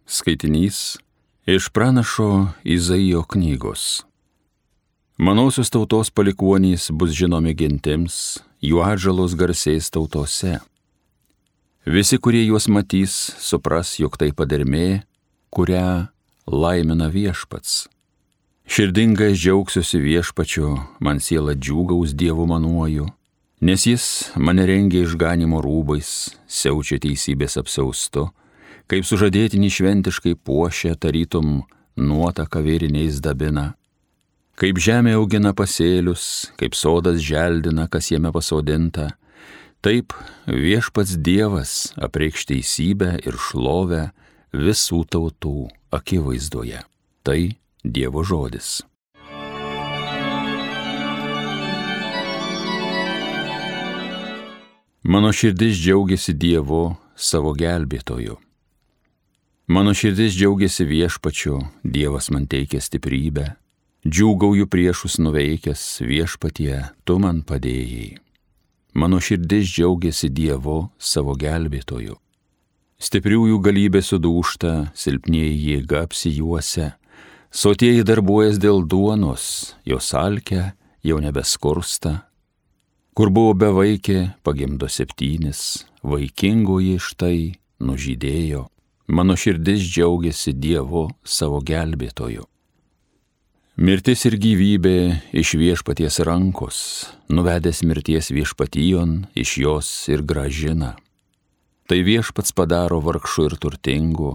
Skaitinys iš pranašo Izaijo knygos. Manosios tautos palikuonys bus žinomi gentims, jų atžalos garsės tautose. Visi, kurie juos matys, supras, jog tai padermė, kurią laimina viešpats. Širdingai džiaugsiuosi viešpačiu, man siela džiūgaus Dievu manuoju, nes jis mane rengia išganimo rūbais, siaučia teisybės apsiaustu, kaip sužadėtinį šventiškai puošia, tarytum nuotaka vėriniais dabina. Kaip žemė augina pasėlius, kaip sodas želdina, kas jame pasodinta, taip viešpats Dievas apreikš teisybę ir šlovę visų tautų akivaizdoje. Tai Dievo žodis. Mano širdis džiaugiasi Dievu, savo gelbėtoju. Mano širdis džiaugiasi viešpačiu, Dievas man teikia stiprybę. Džiūgauju priešus nuveikęs, viešpatie, tu man padėjai. Mano širdis džiaugiasi Dievu, savo gelbėtoju. Stipriųjų galybė sudūžta, silpnieji jėga apsijuosia, sotieji darbuojas dėl duonos, jos alkia jau nebeskursta. Kur buvo bevaikė, pagimdo 7, vaikingoji štai nužydėjo. Mano širdis džiaugiasi Dievu, savo gelbėtoju. Mirtis ir gyvybė iš viešpaties rankos, nuvedęs mirties viešpatijon, iš jos ir grąžina. Tai viešpats padaro vargšų ir turtingų,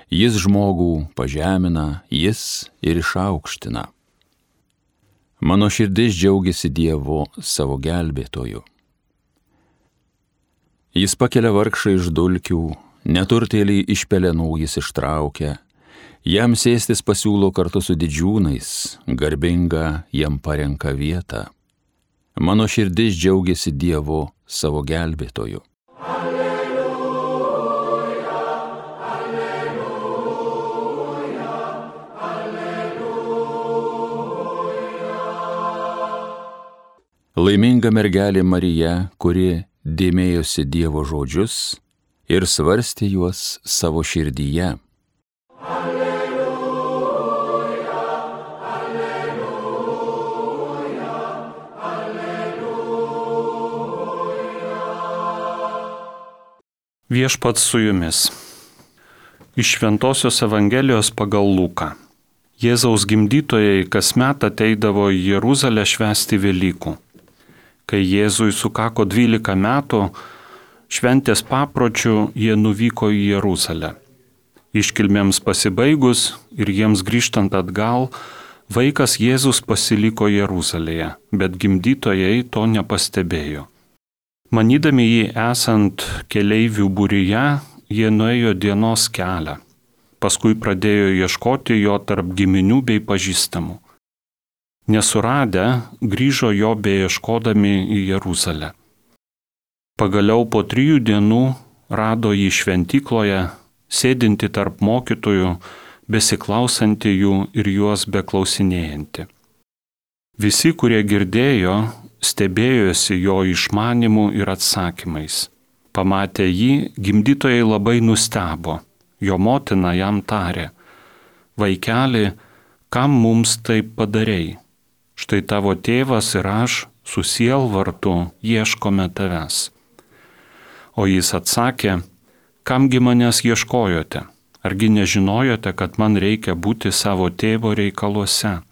jis žmogų pažemina, jis ir išaukština. Mano širdis džiaugiasi Dievu, savo gelbėtoju. Jis pakelia vargšą iš dulkių, neturtėlį iš pelenų jis ištraukia, jam sėstis pasiūlo kartu su didžiūnais, garbinga jam parenka vietą. Mano širdis džiaugiasi Dievu, savo gelbėtoju. Alleluja, alleluja, alleluja. Laiminga mergelė Marija, kuri dėmėjosi Dievo žodžius ir svarstė juos savo širdyje. Alleluja, alleluja, alleluja. Viešpats su jumis. Iš Šventosios Evangelijos pagal Luką. Jėzaus gimdytojai kasmet ateidavo į Jeruzalę švęsti Velykų. Kai Jėzui sukako 12 metų, šventės papročių jie nuvyko į Jeruzalę. Iškilmėms pasibaigus ir jiems grįžtant atgal, vaikas Jėzus pasiliko Jeruzalėje, bet gimdytojai to nepastebėjo. Manydami jį esant keleivių būryje, jie nuėjo dienos kelią. Paskui pradėjo ieškoti jo tarp giminių bei pažįstamų. Nesuradę, grįžo jo beieškodami į Jeruzalę. Pagaliau po 3 dienų rado jį šventykloje, sėdinti tarp mokytojų, besiklausantį jų ir juos beklausinėjantį. Visi, kurie girdėjo, stebėjosi jo išmanimu ir atsakymais. Pamatę jį, gimdytojai labai nustebo. Jo motina jam tarė: vaikeli, kam mums taip padarei? Štai tavo tėvas ir aš su sielvartu ieškome tavęs. O jis atsakė: kamgi manęs ieškojote? Argi nežinojote, kad man reikia būti savo tėvo reikaluose?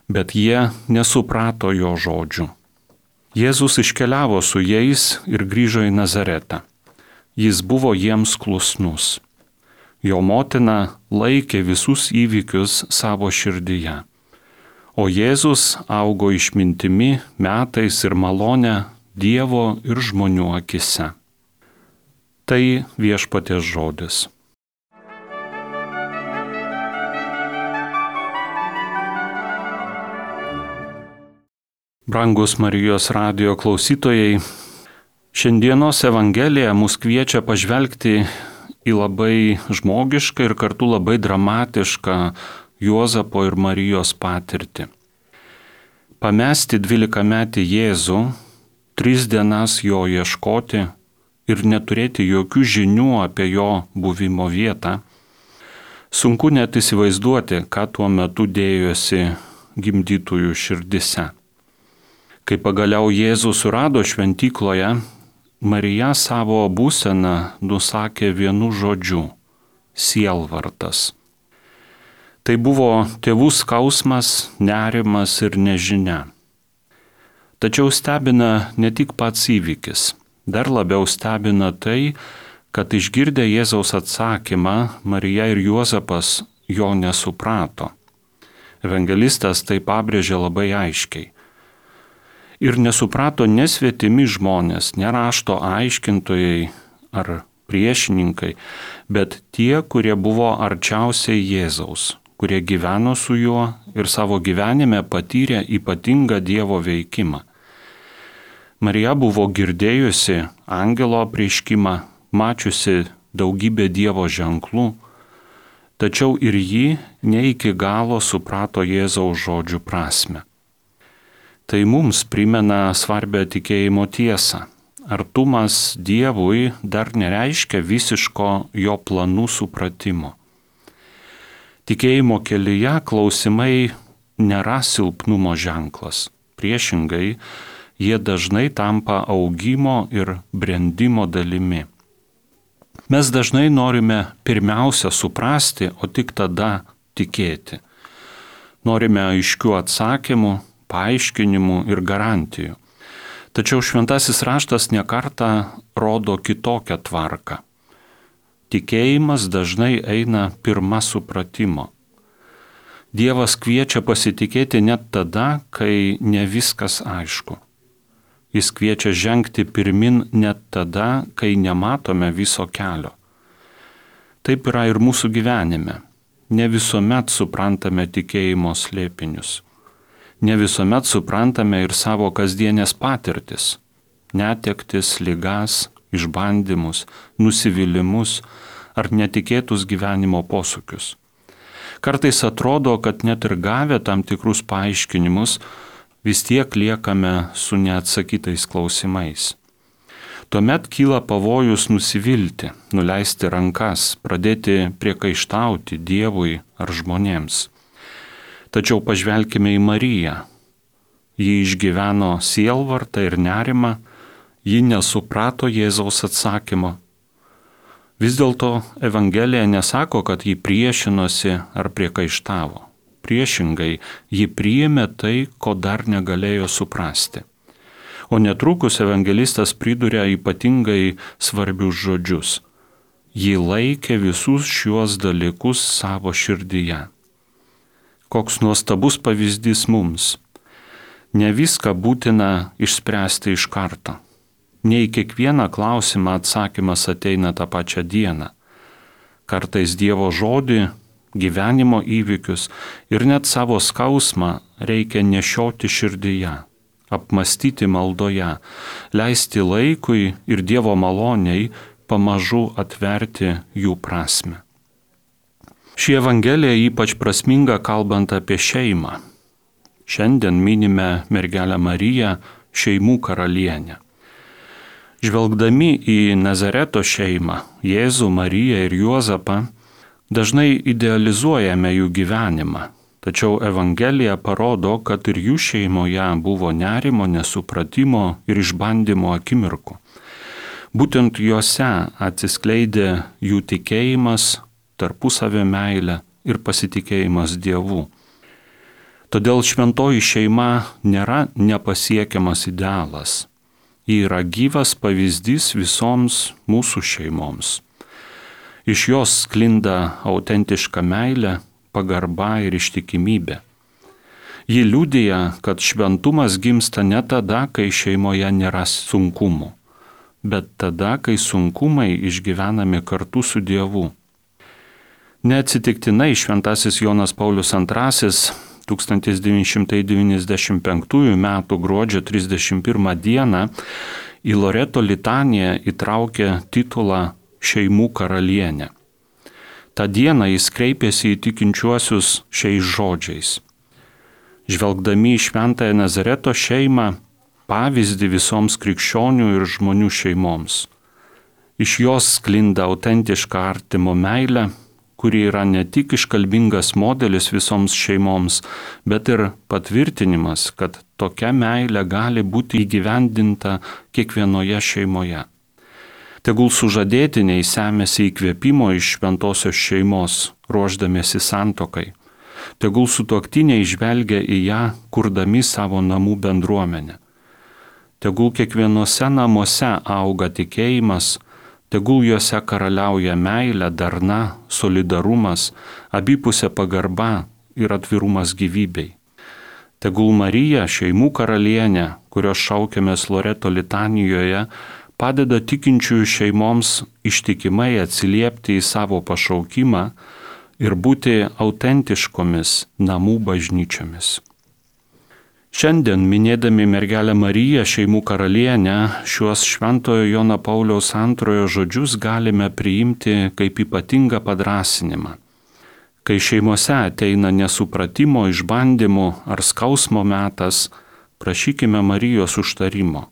Bet jie nesuprato jo žodžių. Jėzus iškeliavo su jais ir grįžo į Nazaretą. Jis buvo jiems klusnus. Jo motina laikė visus įvykius savo širdyje. O Jėzus augo išmintimi, metais ir malone Dievo ir žmonių akise. Tai viešpaties žodis. Brangus Marijos radijo klausytojai, šiandienos Evangelija mus kviečia pažvelgti į labai žmogišką ir kartu labai dramatišką Juozapo ir Marijos patirtį. Pamesti 12-metį Jėzų, 3 dienas jo ieškoti ir neturėti jokių žinių apie jo buvimo vietą, Sunku net įsivaizduoti, ką tuo metu dėjosi gimdytųjų širdise. Kai pagaliau Jėzus surado šventykloje, Marija savo būseną nusakė vienu žodžiu - sielvartas. Tai buvo tėvų skausmas, nerimas ir nežinia. Tačiau stebina ne tik pats įvykis, dar labiau stebina tai, kad išgirdę Jėzaus atsakymą, Marija ir Juozapas jo nesuprato. Evangelistas tai pabrėžė labai aiškiai. Ir nesuprato nesvetimi žmonės, ne rašto aiškintojai ar priešininkai, bet tie, kurie buvo arčiausiai Jėzaus, kurie gyveno su juo ir savo gyvenime patyrė ypatingą Dievo veikimą. Marija buvo girdėjusi angelo apreiškimą, mačiusi daugybę Dievo ženklų, tačiau ir ji ne iki galo suprato Jėzaus žodžių prasme. Tai mums primena svarbę tikėjimo tiesą. Artumas Dievui dar nereiškia visiško jo planų supratimo. Tikėjimo kelyje klausimai nėra silpnumo ženklas. Priešingai, jie dažnai tampa augimo ir brendimo dalimi. Mes dažnai norime pirmiausia suprasti, o tik tada tikėti. Norime aiškių atsakymų, paaiškinimų ir garantijų. Tačiau šventasis raštas nekartą rodo kitokią tvarką. Tikėjimas dažnai eina pirma supratimo. Dievas kviečia pasitikėti net tada, kai ne viskas aišku. Jis kviečia žengti pirmin net tada, kai nematome viso kelio. Taip yra ir mūsų gyvenime. Ne visuomet suprantame tikėjimo slėpinius. Ne visuomet suprantame ir savo kasdienės patirtis, netektis, ligas, išbandymus, nusivylimus ar netikėtus gyvenimo posūkius. Kartais atrodo, kad net ir gavę tam tikrus paaiškinimus, vis tiek liekame su neatsakytais klausimais. Tuomet kyla pavojus nusivilti, nuleisti rankas, pradėti priekaištauti Dievui ar žmonėms. Tačiau pažvelkime į Mariją. Ji išgyveno sielvartą ir nerimą, ji nesuprato Jėzaus atsakymo. Vis dėlto Evangelija nesako, kad ji priešinosi ar priekaištavo. Priešingai, ji priėmė tai, ko dar negalėjo suprasti. O netrukus evangelistas priduria ypatingai svarbius žodžius. Ji laikė visus šiuos dalykus savo širdyje. Koks nuostabus pavyzdys mums. Ne viską būtina išspręsti iš karto. Ne į kiekvieną klausimą atsakymas ateina tą pačią dieną. Kartais Dievo žodį, gyvenimo įvykius ir net savo skausmą reikia nešioti širdyje, apmastyti maldoje, leisti laikui ir Dievo maloniai pamažu atverti jų prasmę. Ši Evangelija ypač prasminga kalbant apie šeimą. Šiandien minime mergelę Mariją, šeimų karalienę. Žvelgdami į Nazareto šeimą, Jėzų, Mariją ir Juozapą, dažnai idealizuojame jų gyvenimą. Tačiau Evangelija parodo, kad ir jų šeimoje buvo nerimo, nesupratimo ir išbandymo akimirkų. Būtent juose atsiskleidė jų tikėjimas, tarpusavio meilė ir pasitikėjimas Dievu. Todėl šventoji šeima nėra nepasiekiamas idealas. Ji yra gyvas pavyzdys visoms mūsų šeimoms. Iš jos sklinda autentiška meilė, pagarba ir ištikimybė. Ji liudija, kad šventumas gimsta ne tada, kai šeimoje nėra sunkumų, bet tada, kai sunkumai išgyvenami kartu su Dievu. Neatsitiktinai šventasis Jonas Paulius II 1995 m. gruodžio 31 d. į Loreto litaniją įtraukė titulą Šeimų karalienė. Ta dieną jis kreipėsi į tikinčiuosius šiais žodžiais. Žvelgdami į šventąją Nazareto šeimą, pavyzdį visoms krikščionių ir žmonių šeimoms. Iš jos sklinda autentiška artimo meilė, kuri yra ne tik iškalbingas modelis visoms šeimoms, bet ir patvirtinimas, kad tokia meilė gali būti įgyvendinta kiekvienoje šeimoje. Tegul sužadėtiniai semėsi įkvėpimo iš šventosios šeimos, ruošdamiesi santuokai. Tegul sutuoktiniai žvelgia į ją, kurdami savo namų bendruomenę. Tegul kiekvienose namuose auga tikėjimas, tegul juose karaliauja meilė, darna, solidarumas, abipusė pagarba ir atvirumas gyvybei. Tegul Marija, šeimų karalienė, kurios šaukiamės Loreto litanijoje, padeda tikinčiųjų šeimoms ištikimai atsiliepti į savo pašaukimą ir būti autentiškomis namų bažnyčiomis. Šiandien, minėdami mergelę Mariją, šeimų karalienę, šiuos Šventojo Jono Pauliaus II žodžius galime priimti kaip ypatingą padrąsinimą. Kai šeimose ateina nesupratimo, išbandymų ar skausmo metas, prašykime Marijos užtarimo.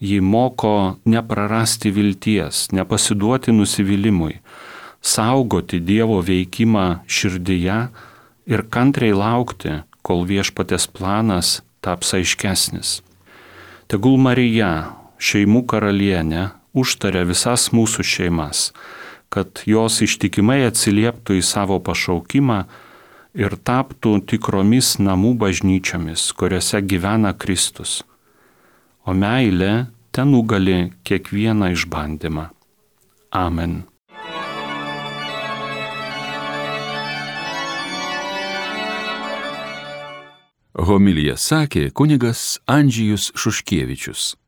Ji moko neprarasti vilties, nepasiduoti nusivylimui, saugoti Dievo veikimą širdyje ir kantriai laukti, kol viešpatės planas taps aiškesnis. Tegul Marija, šeimų karalienė, užtaria visas mūsų šeimas, kad jos ištikimai atsilieptų į savo pašaukimą ir taptų tikromis namų bažnyčiomis, kuriuose gyvena Kristus. O meilė ten nugali kiekvieną išbandymą. Amen. Homiliją sakė kunigas Andžejus Šuškievičius.